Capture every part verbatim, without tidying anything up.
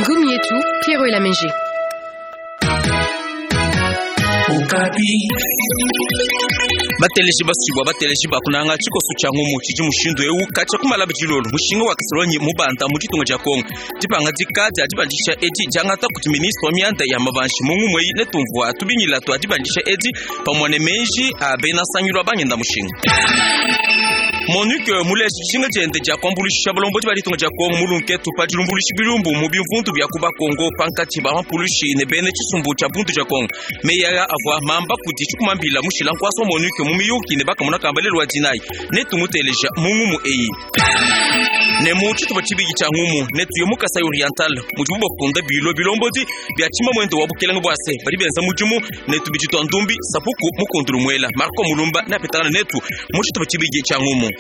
Ngumu yetu Pierrot Elameje. Bateleji basubwa bateleji bakunanga tshikoso tshia ngumu tshidi mushindu eu katshia kumala bilolo mushinga wa kasolonyi mubanda mu ditunga dia Kongo dipangadika dia dibandisha edi diangata kudi ministre wa mianda ya mabanshi mu ngumu eyi netumvua tubingila tua dibandisha edi pamue ne meji a bena nsangilu a bangenda mushinga. MONUC muleji dijinga diende dia kuambuluisha balombodi ba ditunga dia Kongo mulunketu pa dilumbuluishi bilumbu mu bimvundu bia kuba Kongo pankatshi ba mampulushi ne bene tshisumbu tshia bundu dia Kongo. Meyi aya avua mamba kudi tshikumambila mushila nkuasa wa MONUC mu miyuki ne bakamona kamba lelu wa dinayi netumuteleja mu ngumu eyi. Ne mu tshitupa tshibidi tshia ngumu netuye mu Kasai Oriental mudibu bafunda bilo bilombodi bia tshima muende wa bukelenge bua se badi benza mudimu ne tubidi tua ndumbi sapuku mukundulu muela Marco Mulumba neapetangana netu mu tshitupa tshibidi tshia ngumu.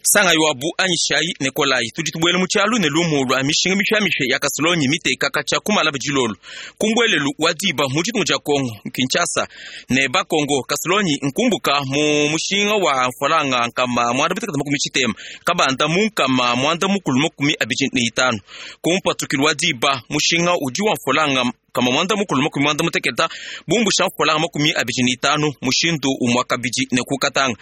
Sanga yoabu anyishai Nikolai tudi tubuele mu tshialu ne lumu lua mishinga mipyamipya ya kasolonyi miteka katshia kumala bilolo kumbwelelu wa diba mu ditunga dia Kongo Kinshasa ne bakongo kasolonyi nkumbuka mu mushinga wa mfalanga nkama mwanda mutekete makumi tshitema kabanda mu nkama mwanda mukulu makumi abidi ne itanu kumpatukilu wa diba mushinga udi wa mfalanga kama mwanda mukulu makumi mwanda muteketa bumbusha mfalanga makumi abidi ne itanu mushindu umwa kabidi ne kukatanga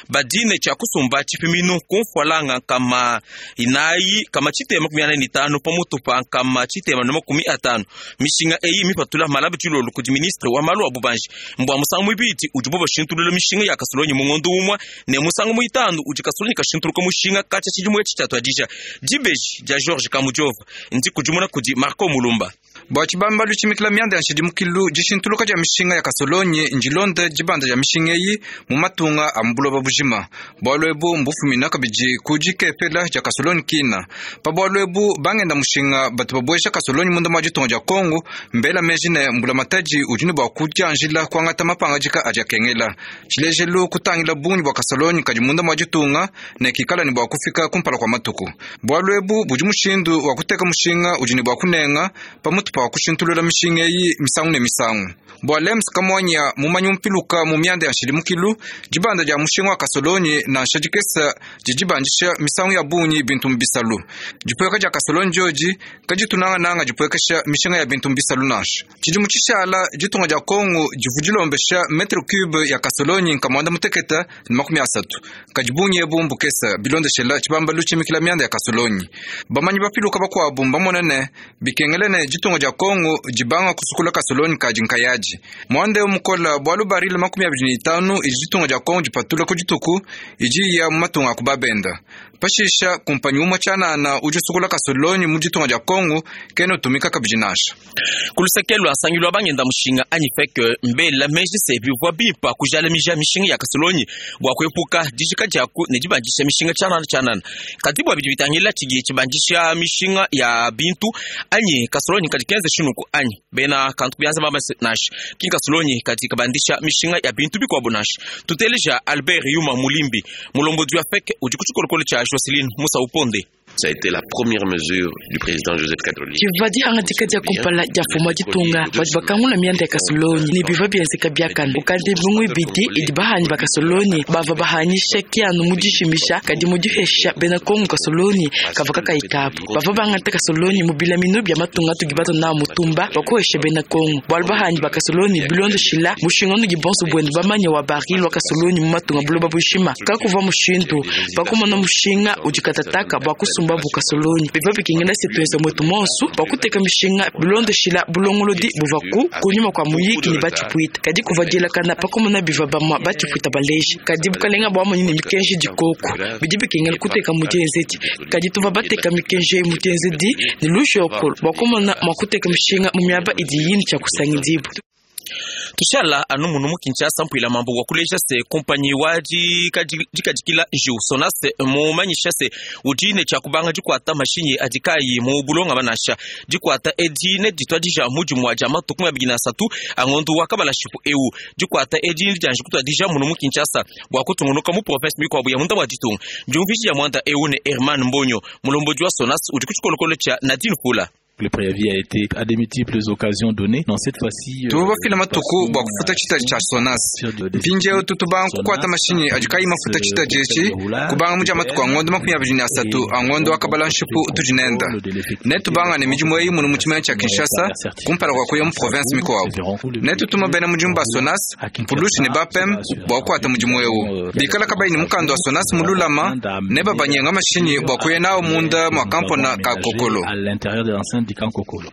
badine tshia kusumba tshipiminu kumfwalanga kama inayi kama tshitema makumi anayi ne itanu pamutu pa kama tshitema ne makumi atanu mishinga eyi mipatula malabu tshilolo kudi ministre wa malu a bubanji mbwa musangu muibidi udibo bashintulula mishinga ya kasolonyi mu ngondo umwa ne musangu muitanu udi kasolonyi kashintuluka mushinga katshia tshidimu etshi tshiatuadija dibeji dia Georges Kamujova ndi kudimuna kudi Marco Mulumba. Bua tshibambalu tshimikila mianda ya nshidimukilu dishintuluka dia mishinga ya kasolonyi ndilonde dibanda dia mishinga eyi mu matunga a mu buloba bujima. Bualu ebu mbufumina kabidi ku dikepela dia kasolonyi kina. Pa bualu ebu bangenda mushinga batu babuesha kasolonyi munda mua ditunga dia Kongo mbela meji ne mbulamatadi udi ne bua kudianjila kuangata mapangadika adi akengela. Tshilejelu kutangila bungi bua kasolonyi kadi munda mua ditunga ne kikala ne bua kufika kumpala kua matuku. Bualu ebu budi mushindu wa kuteka mushinga udi ne bua kunenga pamutu pa kushintulula mishinga eyi misangu ne misangu. Bua Lems Kamwanya mumanyi mpiluka mu mianda ya nshidimukilu dibanda dia mushinga wa kasolonyi nansha dikesa didibandisha misangu ya bungi bintu mbisalu. Dipueka dia kasolonyi diodi kaditunangananga dipuekesha mishinga ya bintu mbisalu nansha. Tshidimu tshishala ditunga dia Kongo divu dilombesha metre cube ya kasolonyi nkamwanda muteketa ne makumi asatu. Kadi bungi ebu mbukesa bilondeshela tshibambalu tshimikila mianda ya kasolonyi. Bamanyi bapiluka bakuabu mbamona ne bikengele ne ditunga dia Kongo dibanga kusukula kasolonyi kadi nkayaji. Mwande mukola bualu baril makumi abidi ne itanu idi ditunga dia Kongo dipatula ku dituku idi ya mu matunga a kubabenda. Pashisha kumpanyi umwe tshianana udi usukula kasolonyi mu ditunga dia Kongo kena utumika kabidi nansha. Kuluseke lua nsangilu wa bangenda mushinga anyi feke mbela meji se bivua bimpa kujalamija mishinga ya kasolonyi bua kuepuka dijika diaku ne dibandisha mishinga tshianana tshianana. Kadi bua bidi bitangila tshidi tshibandisha mishinga ya bintu anyi kasolonyi kadi kenze shinuku anyi bena kantu kubianza bamba nansha ki kasolonyi kadi kabandisha mishinga ya bintu bikuabu nansha. Tuteleja Albert Yuma Mulimbi mulombodi wa feke udi ku tshikolokolo tshia Jocelyn Musa Uponde. Ça a été la première mesure du président Joseph Kabila. Tshivua dihangadika dia kumpala dia mfumu wa ditunga badi bakangula mianda ya kasolonyi ne bivua bienzeka biakane. Ukadi bingu ibidi idi bahanyi ba kasolonyi bavua bahanyisha kianu mu dishimisha kadi mu dihesha bena Kongo kasolonyi kavua kakayi kabu. Bavua bangata kasolonyi mu bilaminu bia matunga tudi batona mutumba bakuhesha bena Kongo. Bualu bahanyi ba kasolonyi bilondoshila mushinga nudi bonso buenu bamanya wa baril wa kasolonyi mu matunga buloba bushima. Kakuvua mushindu bakumona mushinga udi katataka bua kusumba babu kasolonyi bivua bikengela se tuenza mwetu monsu bua kuteka mishinga bilondoshila bulongolodi buva ku kunyuma kua muyiki ne batshipuita. Kadi kuvua dielakana pakumona bivua bamua batshipuita baleji. Kadi bukalenga buamonyi ne mikenji dikoku bidi bikengela kuteka mu dienzedi. Kadi tuvua bateka mikenji eyi mu dienzedi ne lujokolo bua kumona mua kuteka mishinga mu miaba idi yini tshia kusangidibu. Tushala anu munu mu Kinshasa mpuila mambo wa kuleja se kompanyi wa dikadikila njiu Sonase mumanyisha se udi ne tshia kubanga dikuata mashinyi adi kayi mu bulonga banasha dikuata edi ne dituadija mudimu wa dia matuku abidi na asatu a ngondu wa kabalashipu eu dikuata edi dianji kutuadija munu mu Kinshasa bua kutungunuka mu province mikuabu ya munda wa ditunga. Diumviji ya mwanda eu ne Herman Mbonyo mulombodi wa Sonas udi ku tshikolokolo tshia Nadine Fula. Le préavis a été à des multiples occasions données. Dans cette fois-ci, Tuvua bafila matuku bua kufuta tshitadi tshia Sonas. Mpindieu tutubanga kukuata mashinyi adi kayi mafuta tshitadi etshi kubanga mudi matuku a ngondo makumi abidi ne asatu a ngondo wa kabala nshipu utudi nenda. Netubangane midimu eyi munu mu tshimenga tshia Kinshasa kumpala kua kuya mu province mikuabu. Netutuma bena mudimu ba Sonas, Mpulushi ne Bapem bua kukuata mudimu eu. Bikala kabayi ne mukanda wa Sonas mululama ne babanyenga mashinyi bua kuya nawo munda mua kampona ka Kokolo. À l'intérieur de l'enceinte du camp Kokolo.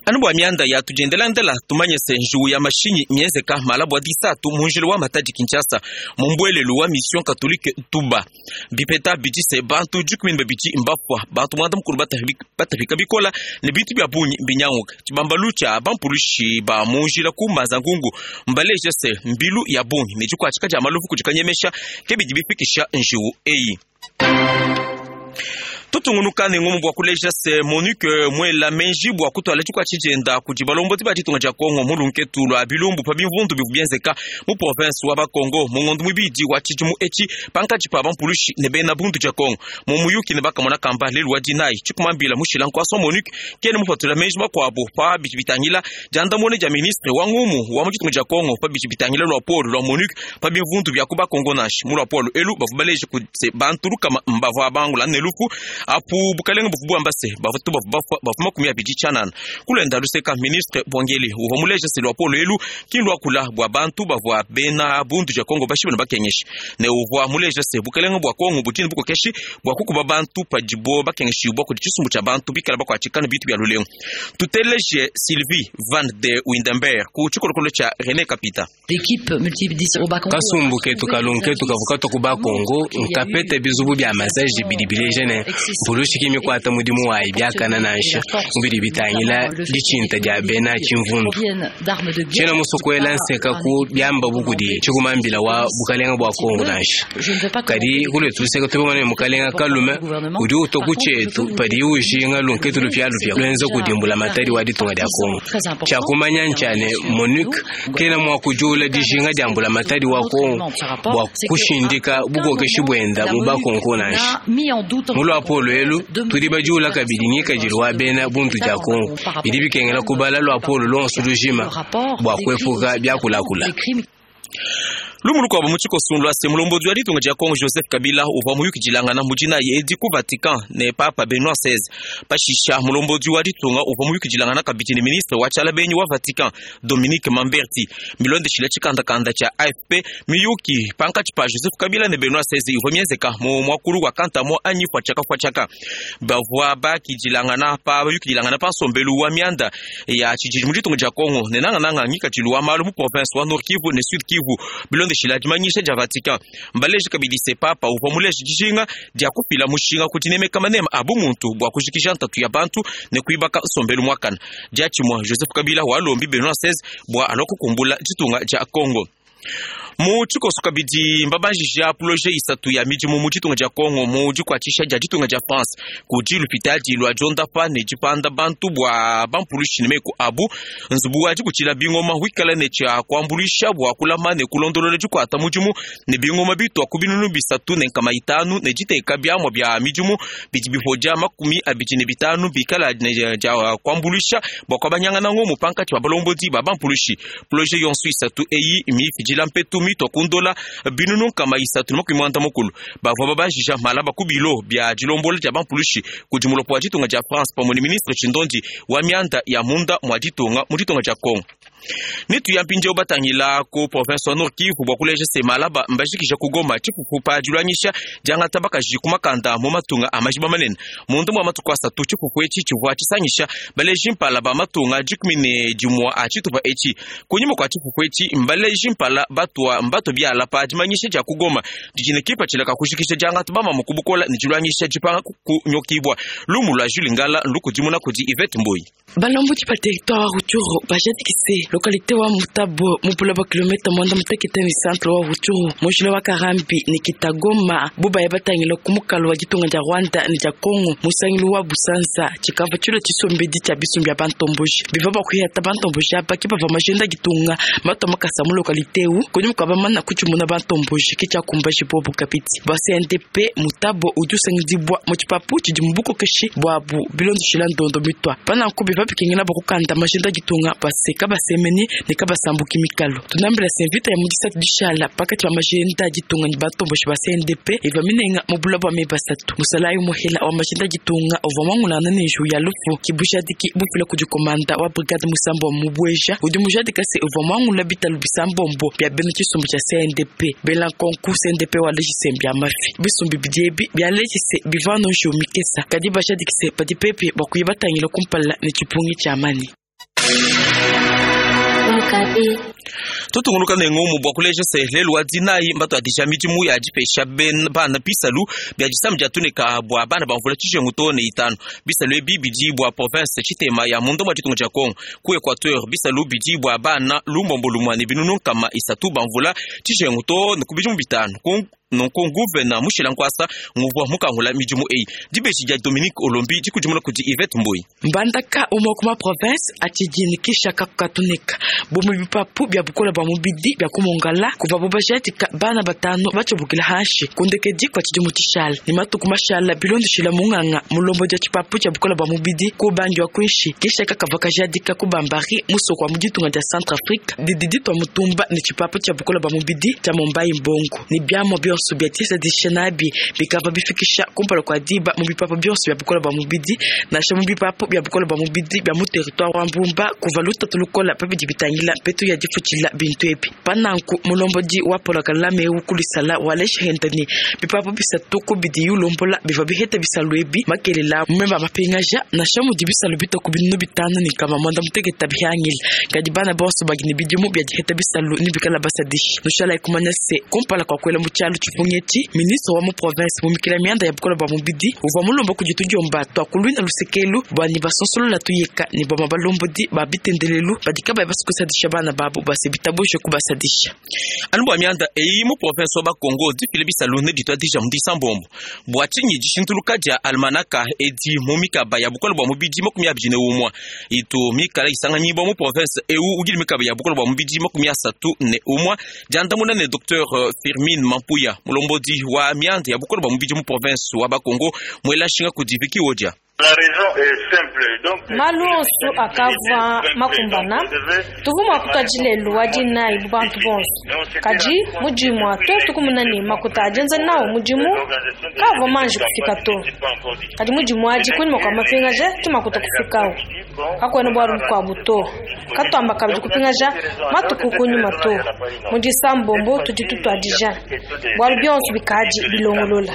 Anu bua mianda ya tudiendelandela tumanye se njuwu ya mashinyi mienzeka mala bua disatu mu njila wa Matadi Kinshasa mu mbuelelu wa Mission Catholique Tuba. Bipeta bidi se bantu dikumi ne babidi mbafua, bantu muanda mukulu batapika bikola ne bintu bia bungi mbinyanguka. Tshibambalu tshia bampulushi ba mu njila ku Mbanza-Ngungu mbaleje se mbilu ya bungi ne dikuatshika dia maluvu kudi kanyemesha ke bidi bifikisha njuwu eyi. Tutungunuka ne ngumu bua kuleja se MONUC muela menji bua kutuala tshikua tshijenda kudi balombodi ba ditunga dia Kongo mu lunketu lua bilumbu pa bimvundu bivua bienzeka mu province wa Bakongo mu ngondo muibidi wa tshidimu etshi pankatshi pa bampulushi ne bena bundu dia Kongo. Mu muyuki ne bakamona kamba lelu wa dinayi tshikumambila mushila nkuasa wa MONUC kene mupatula menji makuabu pa bidi bitangila diandamuna dia ministre wa ngumu wa mu ditunga dia Kongo pa bidi bitangila lua polo lua MONUC pa bimvundu bia ku Bakongo nansha mu lua polo elu bavua baleje ku se bantu lukama mbavua bangula ne lufu apu bukalenga buvu bwamba se bavatu bavu bafua bavu makumi abidi tshianana. Kulenda luseka ministre Bwangeli uvua muleje se lua polo elu ki luakula bua bantu bavua bena bundu dia Kongo bashibe ne bakengeshi ne uvua muleje se bukalenga bua Kongo budi ne bukokeshi bua kukuba bantu padibo bakengeshibua kudi tshisumbu tshia bantu bikala bakuatshika ne bintu bia lulengu. Tuteleje Sylvie Van de Windenberg ku tshikolokolo tshia René Kapita. Kasumbu ketu kalunketu kavua katua ku Bakongo nkapete bizubu bia masaji bidi bileja ne mpulushi mikwata mudimu wayi biakana nansha mubidi bitangila ditshinta dia bena tshimvundu. Tshiena musokuela nseka ku biamba bukudi tshikumambila wa bukalenga bua Kongo nansha. Kadi kuletu luseka tubimona ne mukalenga kalume udi utua ku tshietu padi ujinga lunketu lupialupia luenza kudimbula matadi wa ditunga dia Kongo. Tshiakumanya ntshia ne MONUC kena mua kujula dijinga dia mbula matadi wa Kongo bua kushindika bukokeshi buenda mu Bakongo nansha. Mu lua polo elu tudi bajula kabidi ngikadilu wa bena buntu dia Kongo bidi bikengela kubala lua polo lonso lujima bua kuepuka biakulakula. Lumu lukuabu mu tshikoso lua se mulombodi wa ditunga dia Kongo Joseph Kabila uvua muyukidilangana mu dinayi edi ku Vatican ne Papa Benoit seize. Pashisha mulombodi wa ditunga uvua muyukidilangana kabidi ne ministre wa tshiala-benyi wa Vatican Dominique Mamberti. Milondeshile tshikandakanda tshia A F P miyuki pankatshi pa Joseph Kabila ne Benoit seize ivua mienzeka mu muakulu wa kantamo anyi fuatshaka fuatshaka. Bavua bakidilangana pa bayukidilangana pa nsombelu wa mianda ya tshididi mu ditunga dia Kongo ne nangananga ngikadilu wa malu mu province wa Nord Kivu ne Sud Kivu. Bilondeshile dimanyisha dia Vatican mbaleje kabidi se papa uvua muleje dijinga dia kupila mushinga kuti nemeka manema a bumuntu bua kujikija ntatu ya bantu ne kuibaka nsombelu muakana. Diatshimue Joseph Kabila walombi Benoit seize bua alua kukumbula ditunga dia Kongo. Mu tshikoso kabidi mbabanjija projet isatu ya midimu mu ditunga dia Kongo mu dikuatshisha dia ditunga dia France kudi lupitadi lua diondapa ne dipanda bantu bua bampulushi ne meku abu. Nzubu wa dikutshila bingoma wikala ne tshia kuambuluisha bua kulama ne kulondolola dikuata mudimu ne bingoma bitua ku binunu bisatu ne nkama itanu ne diteka biamua bia midimu bidi bipodia makumi abidi ne bitanu bikala ne dia kuambuluisha bua kuabanyangana ngomu pankatshi ba balombodi ba bampulushi. Projet yonso isatu eyi mifidila mpetu mitua kundola binunu nkama isatu ne makumi muanda mukulu. Bavua babanjija malaba ku bilo bia dilombola dia bampulushi kudi mulopo wa ditunga dia France pamue ne ministre Tshindondi wa mianda ya munda mua ditunga mu ditunga dia Kongo. Nitu ya mpindieu batangila ku province wa Nord Kivu bua kuleja se malaba mbajikija ku Goma tshipupu pa dilwanyisha diangata bakaji ku makanda mu matunga a majiba manene. Mundu mua matuku asatu tshipupu etshi tshivua tshisangisha baleji mpala ba matunga dikumi ne dimua a tshitupa etshi. Kunyima kua tshipupu etshi mbaleji mpala batua mbato biala pa dimanyisha dia ku Goma didi ne kipatshila ka kujikija diangata bamama ku bukola ne dilwanyisha dipanga kunyokibwa. Lumu lua Jules Ngala lukudimuna kudi Yvette Mboyi. Balombodi ba territoire wa Rutshuru bajadikise Localité wa Mutabo mupula ba kilomita mwanda mutekete ni centre wa Rutshuru mujila wa Karambi ni Kitagoma bubaya batangila ku mukalo wa ditunga dia Rwanda ni dia Congo musangilu wa Busanza tshikava tshilo tshisombedi tshia bisumbi bia bantomboji biva bakuyata bantomboji apa ke bava majenda ditunga mato makasa mu localité u kunyuma kwa bamana kutshimuna bantomboji ke tshia kumbaji bobu kapiti ba C N D P Mutabo udi usangidibwa mu tshipapu tshidi mu bukokeshi bwabu bilondeshila ndondo mitwa pananku biva bikengela bakukanda majenda ditunga baseka basemeni ne kabasambuki mikalo tunambila semvita ya mudisatu dishala pakati ba majenda ditunga ni batomboshi ba C N D P iva minenga mu bula bwa mebasatu musalayi muhela wa majenda ditunga uvua mwangulana ne nju ya lufu kibushadiki bufila kudi komanda wa brigade musambo wa mubweja udi mujadika se uvua mwangula bitalu bisambombo bya bena tshisumbu tshia C N D P bela nkonku C N D P wa lejisembi ya mafi bisumbi bidiebi bya lejise bivano nju mikesa kadi bashadikise padi pepe bakuye batangila kumpala ne tshipungi tshia mani. Tutunguluka ne ngomu bwa kuleja se lelu wa dinayi mbato adija midimu ya dipesha bana bisalu bya disamu dia tuneka bwa bana bamvula tshijengu to ne itanu bisalu ebi bidi bwa province tshitema ya mundo mwa ditunga dia Congo ku Equateur bisalu bidi bwa bana lumbombo lumwa ne binunu nkama isatu bamvula tshijengu to ne ku bidimu bitanu nonko nguvena mushila nkwasa nguvwa mukangula midimu eyi dibeji dia Dominique Olombi dikudimuna kudi Yvette Mboyi mbandaka umwe kuma province achijinikisha kakukatuneka bomu bipapu bya bukola bwa mubidi bya kumongala kuva bobajatika bana batano bachobukila hashi kundekedi kwa chidimu chishala ni matuku mashala bilondeshila munganga mulombo dia chipapu cha bukola bwa mubidi kubangi wa kwinshi kisha kakava kajadika kubambari musoko wa muditunga dia Centrafrique dididi twa mutumba ni chipapu cha bukola bwa mubidi cha Mombai Mbongo ni byamo byonso bya tisa dishanabi bikava bifikisha kumpala kwa diba mu bipapu byonso bya bukola bwa mubidi nasha mu bipapu bya bukola bwa mubidi bya mu territoire wa Mbumba kuva lutatu lukola pabidi bitangila mpetu ya difutshila bintu ebi pananku mulombodi wa polakalame ukulisala walesha hendani bipapu bisatu kubidi yulombola biva biheta bisalu ebi makelela mumemba mapingaja nasha mudi bisalu bitoku binunu bitanu ni kama mwanda mutegeta bihangila kadi bana bonso bagini bidimu bya diheta bisalu nibikala basadishi nushala ikumanya se kumpala kwa kwela mu tshialu tshipungeti ministre wa mu province mumikila mianda ya bukola bwa mubidi uvua mulomba kudi tudiomba twakulwina lusekelu bwani basonsolola tuyeka ni bwama balombodi ba bitendelelu badika baya basukusadisha bana babo base bitaboshe kubasadisha anu bwa mianda eyi mu province wa Bakongo difile bisalu ne ditwa dija mu disambombo bwa tshinyi dishintuluka dia almanaka edi mu mikaba ya bukola bwa mubidi makumi abidi ne umwa itu mikala isanganyibwa mu province ewu ugili mikaba ya bukola bwa mubidi makumi asatu ne umwa diandamuna ne Docteur Firmin Mampuya mulombodi wa mianda ya bukola bwa mubidi mu province wa Bakongo mwela shinga kudiviki wodia. Malu onso akava makumbana tuvuma kutwajilelu wadinayi bubantu bonso kadi mudimu atu tukumunani makuta ajenza nawo mudimu kava manji kufika to kadi mudimu adi kunyima kwa mapingaja tumakuta kufikawo kakwene bwalu bukwabu to katwamba kabidi kupingaja matuku kunyuma to mudisambombo tudi tutwadija bwalu byonso bikadi bilongolola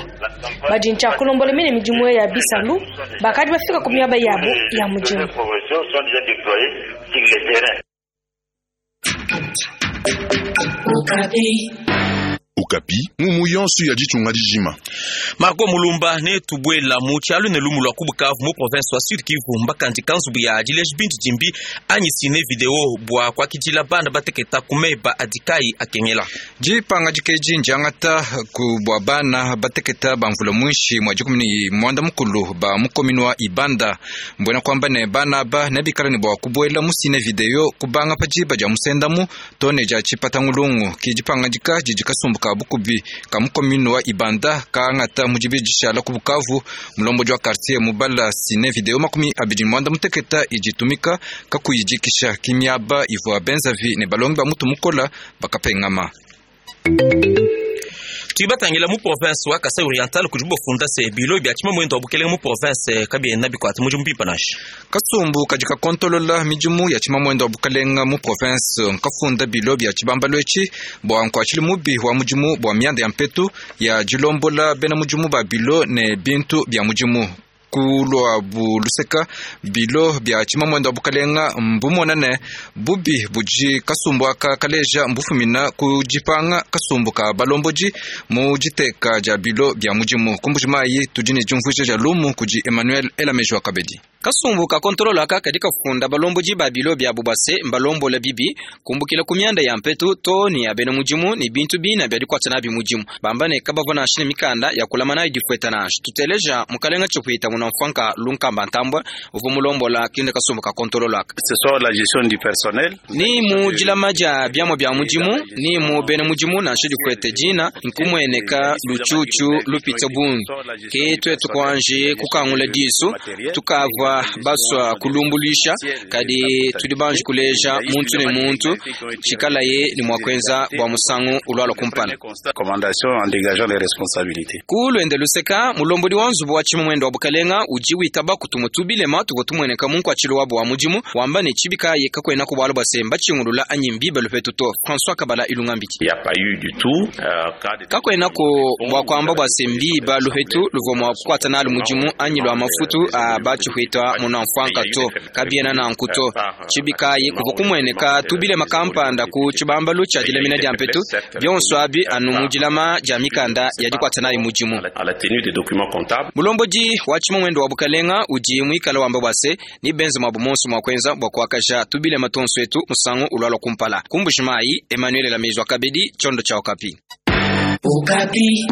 badi ntshakulombola mine midimu ya bisalu bakadi bafika ku miaba yabo ya mudimu. Okapi mumu yonso ya ditunga dijima Marco Mulumba ne tubwela mu tshialu ne lumu lwa ku Bukavu mu province wa Sud Kivu mbakandi kanzubu ya dileji bintu dimbi anyi sine video bwa kwakidila bana bateketa kumeba adikai akengela jipanga dikeji njangata ku bwa bana bateketa bamvula mwinshi mwa dikumi ni mwanda mukulu ba mukominwa ibanda mbwena kwamba ne bana aba nebikala ne bwa kubwela mu sine video kubanga pa diba dia musendamu to ne dia tshipatangulungu ki dipanga dika didi kasumbuka bukubi ka mukominwa ibanda kaangata mudibi dishala ku Bukavu mulombodi wa quartier mubala sine video makumi abidi mwanda muteketa iditumika kakuyidikisha kimiaba ivua benzavi ne balongi ba mutu mukola bakapengama. Tuibatangila mu province wa Kasai Oriental kudi bofunda se bilo bya tshima mwendo wa bukelenge mu province kabiena bikwata mudimu mpipa nashi kasumbu kadi kakontolola midimu ya tshima mwendo wa bukelenga mu province nkafunda bilo bya tshibambalo etshi bwa nkuatshili mubi wa mudimu bwa mianda ya mpetu ya dilombola bena mudimu ba bilo ne bintu bya mudimu Ku lwabu luseka bilo bya tshimamwenda wa bukalenga mbumona ne bubi budi kasumbu aka kaleja mbufumina ku dipanga kasumbu ka balombodi mu diteka dia bilo bya mudimu. Ku Mbujimayi tudi ne diumvuija dia lumu kudi Emmanuel Elameji wa Kabedi. Kasumbu ka kontrolo aka kadi kafunda balombodi ba bilo bya bubase mbalombola bibi kumbukila ku myanda ya mpetu to ni ya bena mudimu ni bintu bina bya dikwata nabi mudimu bamba ne kabavua nansha ne mikanda ya kulama nayo difueta nansha. Tuteleja mukalenga tshipuita muna mfanka lunkamba ntambwa uvua mulombola kinde kasumbu ka kontrolo aka ni mu dilama dia biamua bia mudimu ni mu bena mudimu nansha difuete dina nkumweneka lutshutshu lupita bungi ke twetu kuanji kukangula disu tukavua baswa kulumbulisha kadi tudi banji kuleja muntu ne muntu tshikalaye ni mwa kuenza bua musangu ulwala kumpala. Ku luende luseka mulombodi wa nzubu wa tshimamwendo wa bukalenga udi witaba kutumwa tubilema tuvua tumueneka mu nkuatshilo wabo wa mudimu wamba ne tshibikaye kakuena ku bualu bua se mbatshingulula anyi mbibe lupetu to. François Kabala Ilungambiki. Kakuenako bua kuamba bua se mbiba lupetu luvua mua kukuata nalu mudimu anyi lua mafutu a batshihwita muna mfwanka to kabiena nanku to. Tshibikayi kuvua kumueneka tubilema kampanda ku tshibambalu tshia dilamina dia mpetu bionso abi anu mu dilama dia mikanda ya dikuata nayi mudimu. Mulombodi wa tshimamwendo wa bukalenga udi muikala wamba bua se ni benze mwabu monso mua kuenza bua kuakaja tubilema tonso etu musangu ulwalwa kumpala. Ku Mbujimayi, Emmanuel Lamejwa Kabedi, tshiondo tshia Okapi. Okapi.